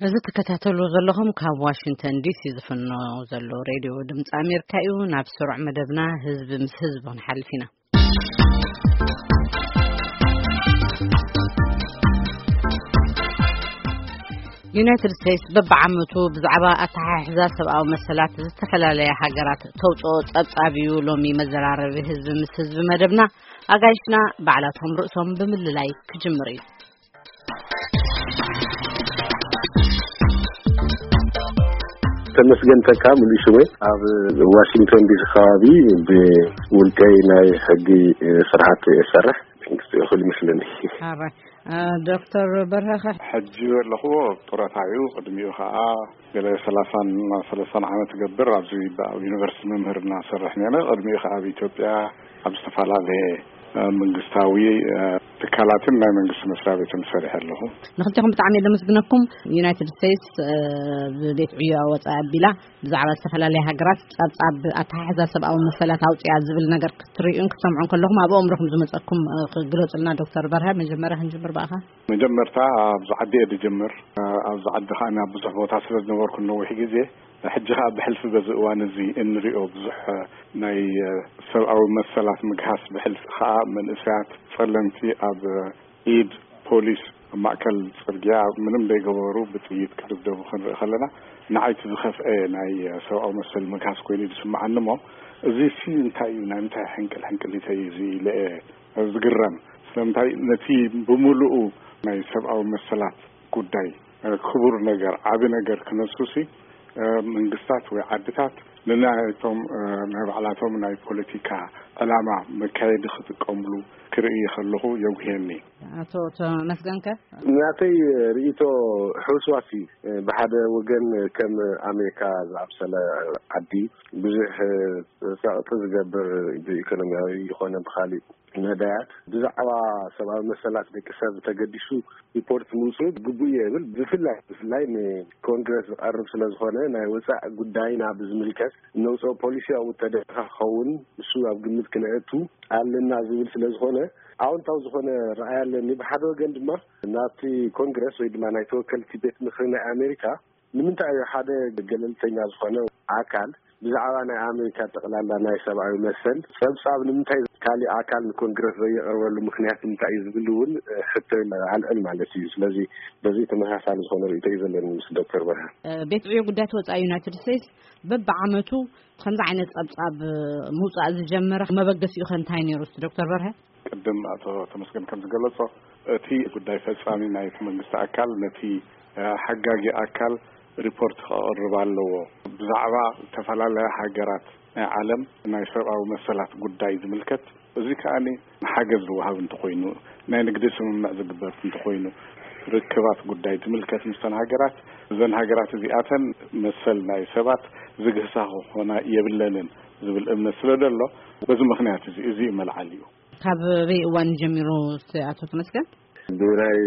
እዚ ትከታተሉ ዘለኹም ካብ ዋሽንግተን ዲሲ ዝፍኖ ዘሎ ሬድዮ ድምፂ ኣሜሪካ እዩ። ናብ ስሩዕ መደብና ህዝቢ ምስ ህዝቢ ክንሓልፍ ኢና። ዩናይትድ ስቴትስ በብዓመቱ ብዛዕባ ኣተሓሕዛ ሰብኣዊ መሰላት ዝተፈላለያ ሃገራት ተውፅኦ ጸብጻብ እዩ። ሎሚ መዘራረቢ ህዝቢ ምስ ህዝቢ መደብና ኣጋይሽና ባዕላቶም ርእሶም ብምልላይ ክጅምር እዩ። ተመስገን ተካ ሙሉእ ሽመይ፣ ኣብ ዋሽንግተን ዲሲ ከባቢ ብውልቀይ ናይ ሕጊ ስርሓት እሰርሕ። መንግስቲ ይኹል ይመስለኒ። ዶክተር በርሀኸ? ሕጂ ኣለኹዎ ጡረታ እዩ። ቅድሚኡ ከዓ ገለ ሰላሳን ሰለስታን ዓመት ገብር ኣብዚ ኣብ ዩኒቨርሲቲ መምህርና ሰርሕ ነረ። ቅድሚኡ ከዓ ኣብ ኢትዮጵያ ኣብ ዝተፈላለየ መንግስታዊ ትካላትን ናይ መንግስቲ መስሪያ ቤትን ሰሪሐ ኣለኹ። ንክልቴኹም ብጣዕሚ ለመስግነኩም። ዩናይትድ ስቴትስ ብቤት ዕዮ ወፃኢ ኣቢላ ብዛዕባ ዝተፈላለያ ሃገራት ጸብጻብ ኣተሓሕዛ ሰብኣዊ መሰላት ኣውፅያ ዝብል ነገር ክትርእዩን ክትሰምዑን ከለኹም ኣብ ኣእምሮኹም ዝመፀኩም ክግለፁልና። ዶክተር በርሀ፣ መጀመርያ ክንጅምር ብኣኻ። መጀመርታ ኣብዚ ዓዲ እየ ዝጅምር። ኣብዚ ዓዲ ከዓ ናብ ብዙሕ ቦታ ስለ ዝነበርኩ ነዊሕ ግዜ፣ ሕጂ ከዓ ብሕልፊ በዚ እዋን እዚ እንሪኦ ብዙሕ ናይ ሰብኣዊ መሰላት ምግሃስ፣ ብሕልፊ ከዓ መንእሰያት ጸለምቲ ኣብ ኢድ ፖሊስ ኣብ ማእከል ጽርግያ ምንም ዘይገበሩ ብጥይት ክድብደቡ ክንርኢ ከለና፣ ንዓይ እቲ ዝኸፍአ ናይ ሰብኣዊ መሰል ምግሃስ ኮይኑ እዩ ዝስምዓኒ። እሞ እዚ ሲ እንታይ እዩ፣ ናይ ምንታይ ሕንቅል ሕንቅሊተይ እዩ እዚ ኢለ እየ ዝግረም። ስለምንታይ ነቲ ብምሉኡ ናይ ሰብኣዊ መሰላት ጉዳይ ክቡር ነገር፣ ዓቢ ነገር ክነሱ ሲ መንግስታት ወይ ዓድታት ንናይቶም ናይ ባዕላቶም ናይ ፖለቲካ ዕላማ መካየዲ ክጥቀምሉ ክርኢ ከለኹ የጉህየኒ። ኣቶ ተመስገንከ? ናተይ ርእይቶ ሕውስዋስ እዩ። ብሓደ ወገን ከም ኣሜሪካ ዝኣምሰለ ዓዲ ብዙሕ ጸቕጢ ዝገብር ብኢኮኖሚያዊ ይኾነ ብኻሊእ መዳያት ብዛዕባ ሰብኣዊ መሰላት ደቂ ሰብ ተገዲሱ ሪፖርት ምውፅኡ ግቡእ እየ እብል። ብፍላይ ብፍላይ ንኮንግረስ ዝቐርብ ስለ ዝኾነ ናይ ወፃኢ ጉዳይና ብዝምልከት እነውፅኦ ፖሊሲ ኣብኡ ተደኻ ክኸውን እሱ ኣብ ግምት ክነእቱ ኣለና ዝብል ስለ ዝኾነ ኣዎንታዊ ዝኾነ ረኣይ ኣለኒ። ብሓደ ወገን ድማ ናብቲ ኮንግረስ ወይ ድማ ናይ ተወከልቲ ቤት ምኽሪ ናይ ኣሜሪካ ንምንታይ እዩ ሓደ ገለልተኛ ዝኾነ ኣካል ብዛዕባ ናይ ኣሜሪካ ጠቕላላ ናይ ሰብኣዊ መሰል ጸብጻብ ንምንታይ ካሊእ ኣካል ንኮንግረስ ዘየቕርበሉ ምኽንያት እንታይ እዩ ዝብል እውን ሕቶ ኣልዕል ማለት እዩ። ስለዚ በዚ ተመሳሳሊ ዝኾነ ርእይቶ እዩ ዘለኒ ምስ ዶክተር በርሃ። ቤት ዕዮ ጉዳያት ወጻኢ ዩናይትድ ስቴትስ በብዓመቱ ከምዚ ዓይነት ጸብጻብ ምውጻእ ዝጀመረ መበገሲኡ ከ እንታይ ነይሩ እስቲ ዶክተር በርሀ? ቅድም ኣቶ ተመስገን ከም ዝገለጾ እቲ ጉዳይ ፈጻሚ ናይቲ መንግስቲ ኣካል ነቲ ሓጋጊ ኣካል ሪፖርት ከቕርብ ኣለዎ። ብዛዕባ ዝተፈላለያ ሃገራት ናይ ዓለም ናይ ሰብኣዊ መሰላት ጉዳይ ዝምልከት፣ እዚ ከኣ ሓገዝ ዝወሃብ እንተኾይኑ፣ ናይ ንግዲ ስምምዕ ዝግበር እንተኾይኑ፣ ርክባት ጉዳይ ዝምልከት ምስተን ሃገራት፣ እዘን ሃገራት እዚኣተን መሰል ናይ ሰባት ዝግህሳ ክኾና የብለንን ዝብል እምነት ስለ ዘሎ፣ በዚ ምኽንያት እዚ፣ እዚ እዩ መልዓሊኡ። ካብ በይ እዋን ጀሚሩ ኣቶ ተመስገን? ብናይ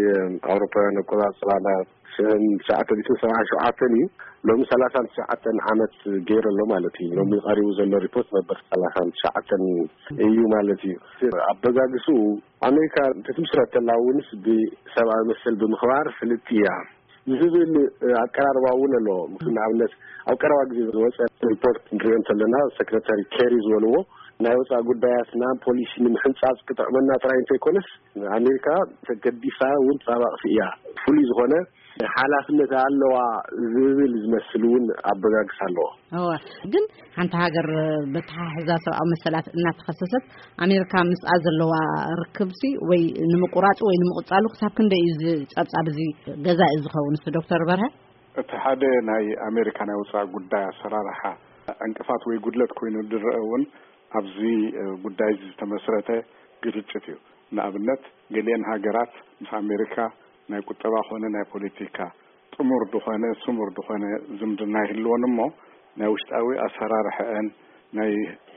ኣውሮፓውያን ኣቆጻጽራ ናብ ሽሕን ትሽዓተ ሚእትን ሰብዓን ሸውዓተን እዩ። ሎሚ ሰላሳን ትሽዓተን ዓመት ገይሩ ኣሎ ማለት እዩ። ሎሚ ቀሪቡ ዘሎ ሪፖርት ነበር ሰላሳን ትሽዓተን እዩ ማለት እዩ። ኣበጋግስኡ ኣሜሪካ ክትምስረት ተላ እውንስ ብሰብኣዊ መሰል ብምኽባር ፍልጥቲ እያ ዝብል ኣቀራርባ እውን ኣሎ። ንኣብነት ኣብ ቀረባ ግዜ ዝወፀ ሪፖርት ንሪኦ እንተለና ሰክረታሪ ኬሪ ዝበልዎ ናይ ወፃኢ ጉዳያትና ፖሊሲ ንምሕንፃፅ ክጥዕመና ጥራይ እንተይኮነስ ኣሜሪካ ተገዲሳ እውን ተጣባቕቲ እያ። ፍሉይ ዝኾነ ሓላፍነት ኣለዋ ዝብል ዝመስል እውን ኣበጋግስ ኣለዎ። እወ፣ ግን ሓንቲ ሃገር በተሓሕዛ ሰብኣዊ መሰላት እናተኸሰሰት ኣሜሪካ ምስኣ ዘለዋ ርክብሲ ወይ ንምቁራፁ ወይ ንምቕፃሉ ክሳብ ክንደይ እዩ እዚ ጸብጻብ እዚ ገዛኢ ዝኸውን? እሱ ዶክተር በርሀ እቲ ሓደ ናይ ኣሜሪካ ናይ ወፃኢ ጉዳይ ኣሰራርሓ ዕንቅፋት ወይ ጉድለት ኮይኑ ዝረአ እውን ኣብዚ ጉዳይ ዝተመስረተ ግርጭት እዩ። ንኣብነት ገሊአን ሃገራት ምስ ኣሜሪካ ናይ ቁጠባ ኮነ ናይ ፖለቲካ ጥሙር ዝኾነ ስሙር ዝኾነ ዝምድና ይህልወን እሞ ናይ ውሽጣዊ ኣሰራርሐአን ናይ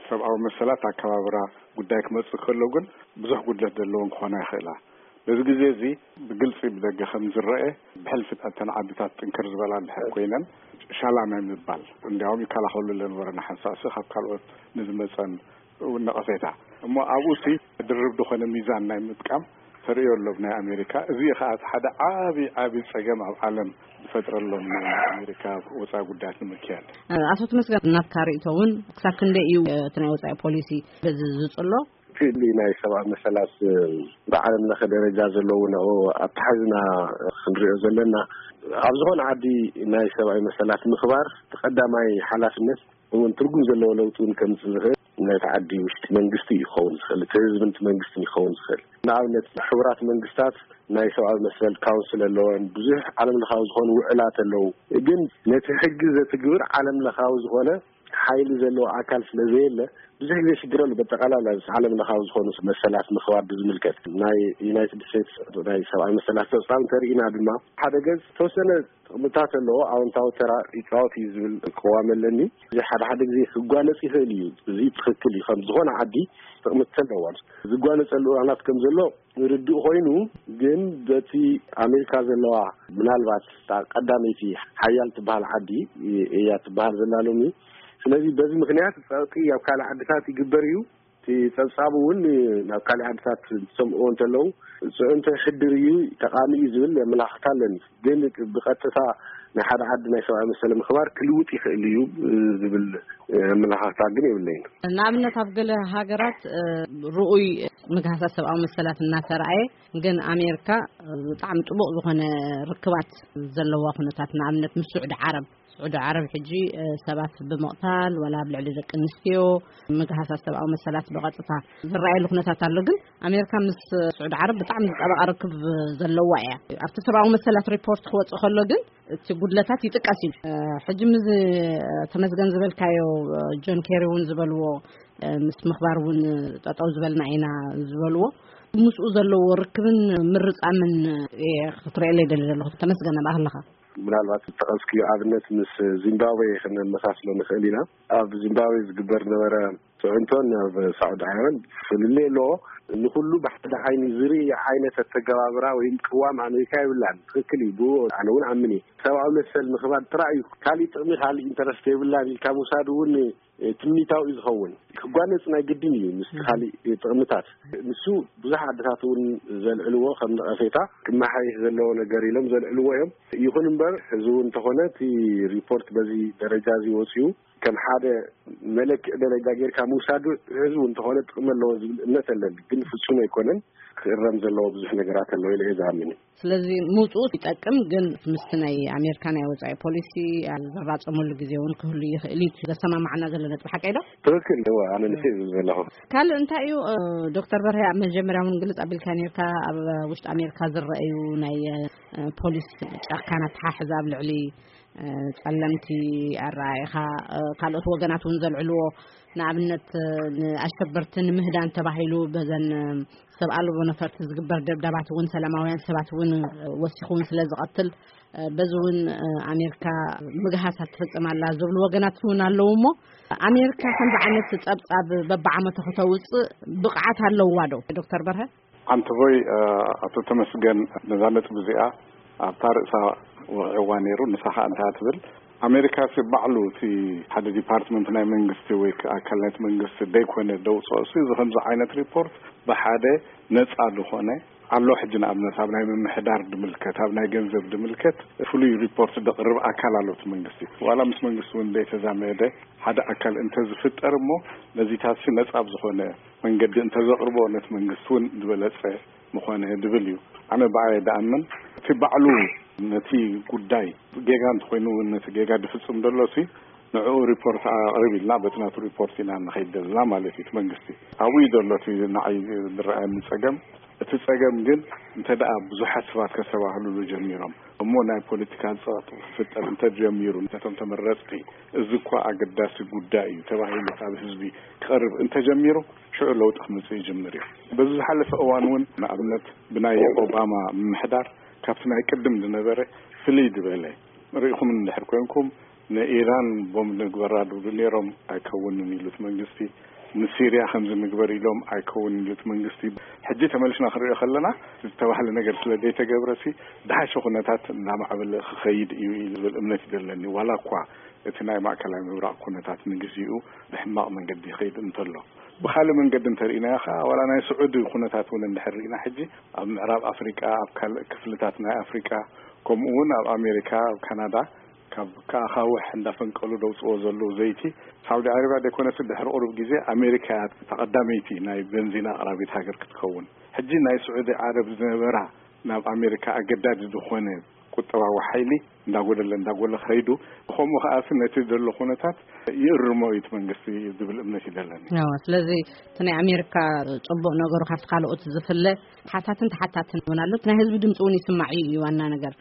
ሰብኣዊ መሰላት ኣከባብራ ጉዳይ ክመፅእ ከሎ ግን ብዙሕ ጉድለት ዘለዎን ክኾና ይኽእላ። በዚ ግዜ እዚ ብግልፂ ብደገ ከም ዝረአ ብሕልፊ እተን ዓድታት ጥንክር ዝበላ እንድሕር ኮይነን ሻላ ናይ ምባል እንዲያውም ይከላኸሉ ኣለነበረ ንሓንሳእሲ ካብ ካልኦት ንዝመፀን እውን ነቐፌታ እሞ ኣብኡ ሲ ድርብ ዝኾነ ሚዛን ናይ ምጥቃም ተርእዮ ኣሎ ብናይ ኣሜሪካ። እዚ ከኣ እቲ ሓደ ዓቢ ዓቢ ጸገም ኣብ ዓለም ዝፈጥረሎም ናይ ኣሜሪካ ወጻኢ ጉዳያት ንምክያድ። ኣቶ ተመስገን፣ ናትካ ርእይቶ እውን ክሳብ ክንደይ እዩ እቲ ናይ ወጻኢ ፖሊሲ በዚ ዝጽሎ? እቲ ናይ ሰብኣዊ መሰላት ብዓለም ለኸ ደረጃ ዘለዉ ንኡ ኣተሓዝና ክንሪኦ ዘለና፣ ኣብ ዝኾነ ዓዲ ናይ ሰብኣዊ መሰላት ምኽባር እቲ ቀዳማይ ሓላፍነት እውን ትርጉም ዘለዎ ለውጢ እውን ከምፅእ ዝኽእል ናይቲ ዓዲ ውሽጢ መንግስቲ እዩ ክኸውን ዝኽእል፣ እቲ ህዝብን እቲ መንግስትን ይኸውን ዝኽእል። ንኣብነት ሕቡራት መንግስታት ናይ ሰብኣዊ መሰል ካውንስል ኣለወን፣ ብዙሕ ዓለም ለኻዊ ዝኾኑ ውዕላት ኣለዉ። ግን ነቲ ሕጊ ዘትግብር ዓለም ለኻዊ ዝኾነ ሓይሊ ዘለዎ ኣካል ስለ ዘየለ ብዙሕ ግዜ ሽግር ኣሎ። በጠቃላላ ዓለም ለኻዊ ዝኾኑ መሰላት ምኽባር ብዝምልከት ናይ ዩናይትድ ስቴትስ ናይ ሰብኣዊ መሰላት ፀብፃብ እንተርኢና ድማ ሓደ ገፅ ተወሰነ ጥቕምታት ኣለዎ፣ ኣወንታዊ ተራ ይፃወት እዩ ዝብል ቅዋም ኣለኒ። እዚ ሓደ ሓደ ግዜ ክጓነፅ ይኽእል እዩ። እዚ ትኽክል እዩ። ከም ዝኾነ ዓዲ ጥቕምታት ኣለዎ። ዝጓነፀሉ እዋናት ከም ዘሎ ርዱእ ኮይኑ፣ ግን በቲ ኣሜሪካ ዘለዋ ምናልባት እታ ቀዳመይቲ ሓያል ትበሃል ዓዲ እያ ትበሃል ዘላ ሎሚ። ስለዚ በዚ ምክንያት ፀቕጢ ኣብ ካልእ ዓድታት ይግበር እዩ። እቲ ፀብፃብ እውን ናብ ካልእ ዓድታት ዝሰምዕዎ እንተለዉ ፅዕንቶ ይሕድር እዩ፣ ጠቓሚ እዩ ዝብል ኣመላኽታ ኣለኒ። ግን ብቐጥታ ንሓደ ዓዲ ናይ ሰብኣዊ መሰል ምኽባር ክልውጥ ይኽእል እዩ ዝብል ኣመላኻኽታ ግን የብለይን። ንኣብነት ኣብ ገለ ሃገራት ርኡይ ምግሃሳት ሰብኣዊ መሰላት እናተረኣየ ግን ኣሜሪካ ብጣዕሚ ጥቡቕ ዝኾነ ርክባት ዘለዋ ኩነታት፣ ንኣብነት ምስ ስዑዲ ዓረብ፣ ስዑዲ ዓረብ ሕጂ ሰባት ብምቕታል ወላ ኣብ ልዕሊ ደቂ ኣንስትዮ ምግሃሳት ሰብኣዊ መሰላት ብቐጥታ ዝረኣየሉ ኩነታት ኣሎ። ግን ኣሜሪካ ምስ ስዑዲ ዓረብ ብጣዕሚ ዝጠበቐ ርክብ ዘለዋ እያ። ኣብቲ ሰብኣዊ መሰላት ሪፖርት ክወፅእ ከሎ ግን እቲ ጉድለታት ይጥቀስ እዩ። ሕጂ ምዚ ተመስገን ዝበልካዮ፣ ጆን ኬሪ እውን ዝበልዎ፣ ምስ ምኽባር እውን ጠጠው ዝበልና ኢና ዝበልዎ፣ ምስኡ ዘለዎ ርክብን ምርፃምን ክትርእየለይ ደሊ ዘለኹ። ተመስገን፣ ኣባህ ኣለኻ? ምናልባት ዝጠቐስክዮ ኣብነት ምስ ዚምባብዌ ክነመሳስሎ ንኽእል ኢና። ኣብ ዚምባብዌ ዝግበር ነበረ ፅዕንቶን ናብ ሳዑዲ ዓረብ ፍልልይ ኣለዎ። ንኩሉ ብሓደ ዓይኒ ዝርኢ ዓይነት ኣተገባብራ ወይም ቅዋም ኣሜሪካ የብላን። ትኽክል እዩ። ብኡ ኣነ እውን ኣምን እየ። ሰብኣዊ መሰል ምኽባር ጥራይ እዩ። ካሊእ ጥቕሚ፣ ካሊእ ኢንተረስት የብላን ኢልካ ምውሳድ እውን ትምኒታዊ እዩ ዝኸውን። ክጓነፅ ናይ ግድን እዩ ምስ ካሊእ ጥቕምታት። ንሱ ብዙሕ ዓድታት እውን ዘልዕልዎ ከም ነቐፌታ ክመሓየሽ ዘለዎ ነገር ኢሎም ዘልዕልዎ እዮም። ይኹን እምበር እዚ እውን እንተኾነ እቲ ሪፖርት በዚ ደረጃ እዚ ወፅኡ ከም ሓደ መለክዒ ደረጃ ጌርካ ምውሳዱ ህዝቡ እንተኾነ ጥቕሚ ኣለዎ ዝብል እምነት ኣለኒ። ግን ፍፁም ኣይኮነን። ክእረም ዘለዎ ብዙሕ ነገራት ኣለዎ ኢለ እየ ዝኣምን። ስለዚ ምውፅኡ ይጠቅም፣ ግን ምስቲ ናይ ኣሜሪካ ናይ ወፃኢ ፖሊሲ ኣብ ዝራፀመሉ ግዜ እውን ክህሉ ይኽእል እዩ። ዘሰማማዕና ዘሎ ነጥቢ ሓቀይ ዶ? ትኽክል እወ፣ ኣነ ንስ ዝብል ዘለኹ። ካልእ እንታይ እዩ? ዶክተር በርሀ፣ ኣብ መጀመርያ እውን ግልፅ ኣቢልካ ነርካ፣ ኣብ ውሽጢ ኣሜሪካ ዝረኣዩ ናይ ፖሊስ ጨካን ኣተሓሕዛ ኣብ ልዕሊ ጸለምቲ ኣረኣኢኻ፣ ካልኦት ወገናት እውን ዘልዕልዎ፣ ንኣብነት ንኣሸበርቲ ንምህዳን ተባሂሉ በዘን ሰብ ኣልቦ ነፈርቲ ዝግበር ደብዳባት እውን ሰላማውያን ሰባት እውን ወሲኹ እውን ስለ ዝቐትል፣ በዚ እውን ኣሜሪካ ምግሃሳት ትፍጽም ኣላ ዝብሉ ወገናት እውን ኣለዉ። እሞ ኣሜሪካ ከምዚ ዓይነት ጸብጻብ በብዓመቱ ከተውጽእ ብቕዓት ኣለዋ ዶ? ዶክተር በርሀ። ዓንተቦይ፣ ኣቶ ተመስገን ነዛ ነጥቢ እዚኣ ኣብታ ርእሳ ወቒዕዋ ነይሩ። ንሳ ኸኣ እንታይ ትብል? ኣሜሪካ ሲ ባዕሉ እቲ ሓደ ዲፓርትመንት ናይ መንግስቲ ወይ ከኣ ኣካል ናይቲ መንግስቲ ደይኮነ ደውፅኦ ሲ እዚ ከምዚ ዓይነት ሪፖርት ብሓደ ነፃ ዝኾነ ኣሎ። ሕጂ ንኣብነት ኣብ ናይ ምምሕዳር ድምልከት፣ ኣብ ናይ ገንዘብ ድምልከት ፍሉይ ሪፖርት ደቕርብ ኣካል ኣሎ እቲ መንግስቲ። ዋላ ምስ መንግስቲ እውን ደይተዛመደ ሓደ ኣካል እንተዝፍጠር እሞ ነዚታት ሲ ነፃ ብዝኾነ መንገዲ እንተዘቕርቦ ነቲ መንግስቲ እውን ዝበለፀ ምኾነ ድብል እዩ። ኣነ ብኣየ ድኣምን እቲ ባዕሉ ነቲ ጉዳይ ጌጋ እንተኾይኑ እውን ነቲ ጌጋ ድፍፅም ደሎ ሲ ንዕኡ ሪፖርት ኣቕርብ ኢልና በቲ ናቱ ሪፖርት ኢና ንኸይድ ደልና ማለት እዩ። እቲ መንግስቲ ኣብኡ እዩ ደሎ እቲ ንዓይ ዝረኣየኒ ፀገም። እቲ ፀገም ግን እንተ ደኣ ብዙሓት ሰባት ከስተባህሉሉ ጀሚሮም እሞ ናይ ፖለቲካ ፀቕጢ ክፍጠር እንተጀሚሩ ነቶም ተመረፅቲ እዚ እኳ ኣገዳሲ ጉዳይ እዩ ተባሂሉ ካብ ህዝቢ ክቐርብ እንተጀሚሩ ሽዑ ለውጢ ክመፅእ ይጅምር እዩ። በዚ ዝሓለፈ እዋን እውን ንኣብነት ብናይ ኦባማ ምምሕዳር ካብቲ ናይ ቅድም ዝነበረ ፍልይ ዝበለ ርኢኹም እንድሕር ኮንኩም ንኢራን ቦምብ ንግበራ ድብሉ ነይሮም ኣይከውንን ኢሉ እቲ መንግስቲ። ንሲርያ ከምዚ ንግበር ኢሎም ኣይከውንን ኢሉ እቲ መንግስቲ። ሕጂ ተመሊስና ክንሪኦ ከለና ዝተባህለ ነገር ስለ ዘይተገብረሲ ድሓሸ ኩነታት እናማዕበለ ክኸይድ እዩ ዝብል እምነት እዩ ዘለኒ። ዋላ እኳ እቲ ናይ ማእከላይ ምብራቕ ኩነታት ንግዚኡ ብሕማቕ መንገዲ ይኸይድ እንተሎ። ብኻልእ መንገዲ እንተርኢናዮ ከዓ፣ ዋላ ናይ ስዑዲ ኩነታት እውን እንድሕር ርኢና፣ ሕጂ ኣብ ምዕራብ ኣፍሪቃ፣ ኣብ ካልእ ክፍልታት ናይ ኣፍሪቃ፣ ከምኡ እውን ኣብ ኣሜሪካ፣ ኣብ ካናዳ፣ ካብ ከኣኻውሕ እንዳፈንቀሉ ደውፅዎ ዘለዉ ዘይቲ፣ ሳውዲ ዓረብያ ደይኮነስ ድሕሪ ቁሩብ ግዜ ኣሜሪካ እያ ተቐዳመይቲ ናይ በንዚን ኣቕራቢት ሃገር ክትከውን። ሕጂ ናይ ስዑዲ ዓረብ ዝነበራ ናብ ኣሜሪካ ኣገዳዲ ዝኾነ ቁጠባዊ ሓይሊ እንዳጎደለ እንዳጎለ ከይዱ፣ ከምኡ ከኣሲ ነቲ ዘሎ ኩነታት ይእርሞ እዩ እቲ መንግስቲ ዝብል እምነት እዩ ዘለኒ። ስለዚ እቲ ናይ ኣሜሪካ ፅቡቕ ነገሩ ካብቲ ካልኦት ዝፍለ ሓታትን ተሓታትን እውን ኣሎ። ናይ ህዝቢ ድምፂ እውን ይስማዕ እዩ ዋና ነገር።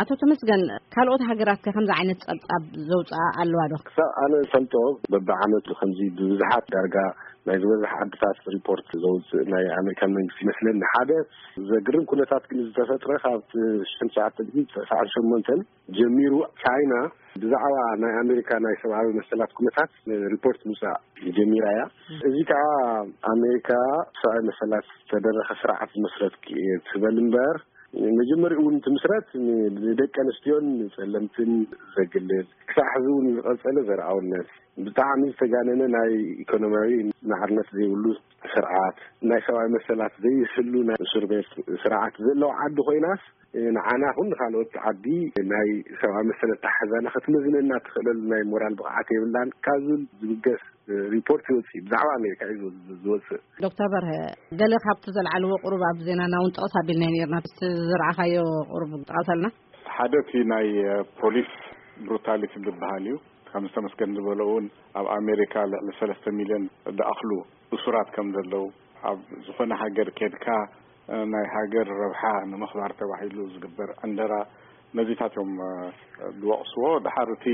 ኣቶ ተመስገን፣ ካልኦት ሃገራት ከ ከምዚ ዓይነት ጸብጻብ ዘውፅኣ ኣለዋ ዶ? ክሳብ ኣነ ፈልጦ በብዓመቱ ከምዚ ብብዝሓት ዳርጋ ናይ ዝበዝሕ ዓድታት ሪፖርት ዘውፅእ ናይ ኣሜሪካን መንግስቲ ይመስለኒ። ሓደ ዘግርም ኩነታት ግን ዝተፈጥረ ካብ ሽሕን ትሽዓተ ሚእትን ተስዓን ሸሞንተን ጀሚሩ ቻይና ብዛዕባ ናይ ኣሜሪካ ናይ ሰብኣዊ መሰላት ኩነታት ሪፖርት ምውፃእ ጀሚራ እያ። እዚ ከዓ ኣሜሪካ ሰብኣዊ መሰላት ዝተደረኸ ስርዓት ዝመስረት ትበል እምበር፣ መጀመሪኡ እውን ትምስረት ንደቂ ኣንስትዮን ንፀለምትን ዘግልል፣ ክሳዕ ሕዚ እውን ዝቐፀለ ዘርኣውነት፣ ብጣዕሚ ዝተጋነነ ናይ ኢኮኖሚያዊ ማዕርነት ዘይብሉ ስርዓት፣ ናይ ሰብኣዊ መሰላት ዘይህሉ ናይ እስር ቤት ስርዓት ዘለዋ ዓዲ ኮይናስ፣ ንዓና ኹን ንካልኦት ዓዲ ናይ ሰብኣዊ መሰል ኣተሓሕዛና ክትመዝነና ትኽእለሉ ናይ ሞራል ብቕዓት የብላን ካብ ዝብል ዝብገስ ሪፖርት ይወፅእ ብዛዕባ ኣሜሪካ እዩ ዝወፅእ። ዶክተር በርሀ፣ ገለ ካብቲ ዘልዓልዎ ቁሩብ ኣብ ዜናና እውን ጠቕስ ኣቢልናዮ ነርና። እስቲ ዝረኣኻዮ ቁሩብ ጠቐሰልና። ሓደ እቲ ናይ ፖሊስ ብሩታሊቲ ዝበሃል እዩ። ከም ዝተመስገን ዝበሎ እውን ኣብ ኣሜሪካ ልዕሊ ሰለስተ ሚልዮን ዝኣኽሉ እሱራት ከም ዘለዉ፣ ኣብ ዝኾነ ሃገር ኬድካ ናይ ሃገር ረብሓ ንምኽባር ተባሂሉ ዝግበር ዕንደራ፣ ነዚታት እዮም ዝወቕስዎ። ድሓር እቲ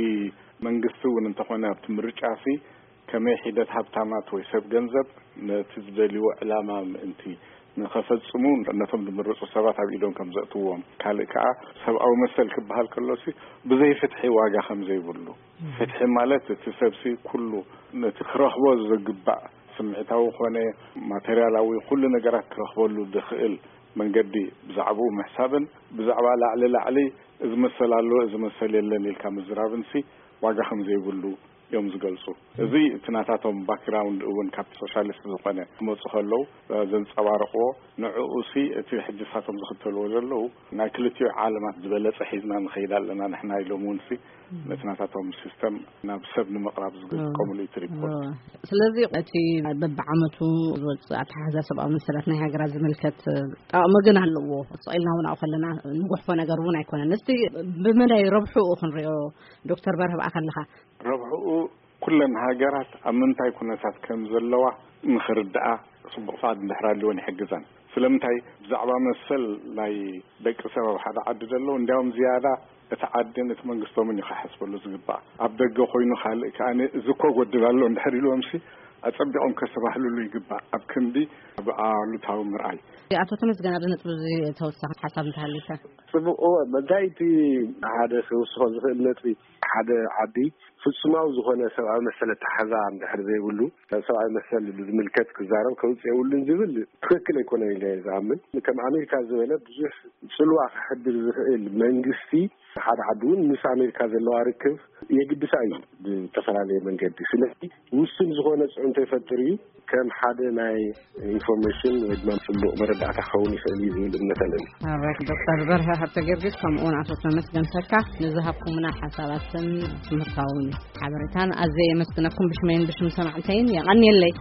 መንግስቲ እውን እንተኾነ ኣብቲ ምርጫ ሲ ከመይ ሒደት ሃብታማት ወይ ሰብ ገንዘብ ነቲ ዝደልይዎ ዕላማ ምእንቲ ንኸፈጽሙ ነቶም ዝምረጹ ሰባት ኣብ ኢዶም ከም ዘእትዎም፣ ካልእ ከኣ ሰብኣዊ መሰል ክበሃል ከሎሲ ብዘይ ፍትሒ ዋጋ ከም ዘይብሉ፣ ፍትሒ ማለት እቲ ሰብሲ ኩሉ ነቲ ክረኽቦ ዝግባእ ስምዒታዊ ኮነ ማተርያላዊ ኩሉ ነገራት ክረኽበሉ ዝኽእል መንገዲ ብዛዕባኡ ምሕሳብን ብዛዕባ ላዕሊ ላዕሊ እዚ መሰል ኣሎ እዚ መሰል የለን ኢልካ ምዝራብንሲ ዋጋ ከም ዘይብሉ እዮም ዝገልጹ። እዚ እቲ ናታቶም ባክግራውንድ እውን ካብቲ ሶሻሊስት ዝኾነ ክመፁ ከለዉ ዘንፀባርቕዎ፣ ንዕኡ ሲ እቲ ሕጂ ሳቶም ዝኽተልዎ ዘለዉ ናይ ክልቲኡ ዓለማት ዝበለፀ ሒዝና ንኸይድ ኣለና ንሕና ኢሎም እውን ሲ ነቲ ናታቶም ሲስተም ናብ ሰብ ንምቕራብ ዝጥቀምሉ እዩ እቲ ሪፖርት። ስለዚ እቲ በብዓመቱ ዝወፅእ ኣተሓሕዛ ሰብኣዊ መሰላት ናይ ሃገራት ዝምልከት ጠቕሚ ግን ኣለዎ። ስቕ ኢልና እውን ኣብኡ ከለና ንጉሕፎ ነገር እውን ኣይኮነን። እስቲ ብመዳይ ረብሕኡ ክንሪኦ ዶክተር በርሀ ብኣኻ ኣለኻ። ረብሕኡ ኩለን ሃገራት ኣብ ምንታይ ኩነታት ከም ዘለዋ ንኽርድኣ ፅቡቕ ፍቓድ እንድሕር ኣልወን ይሕግዘን። ስለምንታይ ብዛዕባ መሰል ናይ ደቂ ሰብ ኣብ ሓደ ዓዲ ዘለዉ እንዲያውም ዝያዳ እቲ ዓድን እቲ መንግስቶምን እዩ ክሓስበሉ ዝግባእ። ኣብ ደገ ኮይኑ ካልእ ከኣ እዚ እኮ ጎድል ኣሎ እንድሕር ኢልዎምሲ ኣጸቢቖም ከስተባህልሉ ይግባእ። ኣብ ክንዲ ብኣሉታዊ ምርኣይ። ኣቶ ተመስገን ኣብዚ ነጥቢ እዚ ተወሳኺ ሓሳብ እንተሃልዩካ። ጽቡቕ እወ መጋይቲ ሓደ ክውስኾ ዝኽእል ነጥቢ ሓደ ዓዲ ፍጹማዊ ዝኾነ ሰብኣዊ መሰል ኣተሓሕዛ እንድሕር ዘይብሉ፣ ሰብኣዊ መሰል ዝምልከት ክዛረብ ከውፅእ የብሉን ዝብል ትክክል ኣይኮነን ኢለ እየ ዝኣምን። ከም ኣሜሪካ ዝበለ ብዙሕ ፅልዋ ከሕድር ዝኽእል መንግስቲ ሓደ ዓዲ እውን ምስ ኣሜሪካ ዘለዋ ርክብ የግድሳ እዩ ብዝተፈላለየ መንገዲ። ስለዚ ውሱን ዝኾነ ፅዕንቶ ይፈጥር እዩ። ከም ሓደ ናይ ኢንፎርሜሽን ወይ ድማ ፅቡቕ መረዳእታ ክኸውን ይኽእል እዩ ዝብል እምነት ኣለኒ። ዶክተር በርሀ ሃብተ ጊዮርጊስ ከምኡውን ኣቶ ተመስገን ተካ ንዝሃብኩምና ሓሳባትን ትምህርታውን ሓበሬታን ኣዝየ የመስግነኩም ብሽመይን ብሽም ሰማዕተይን የቐንየለይ።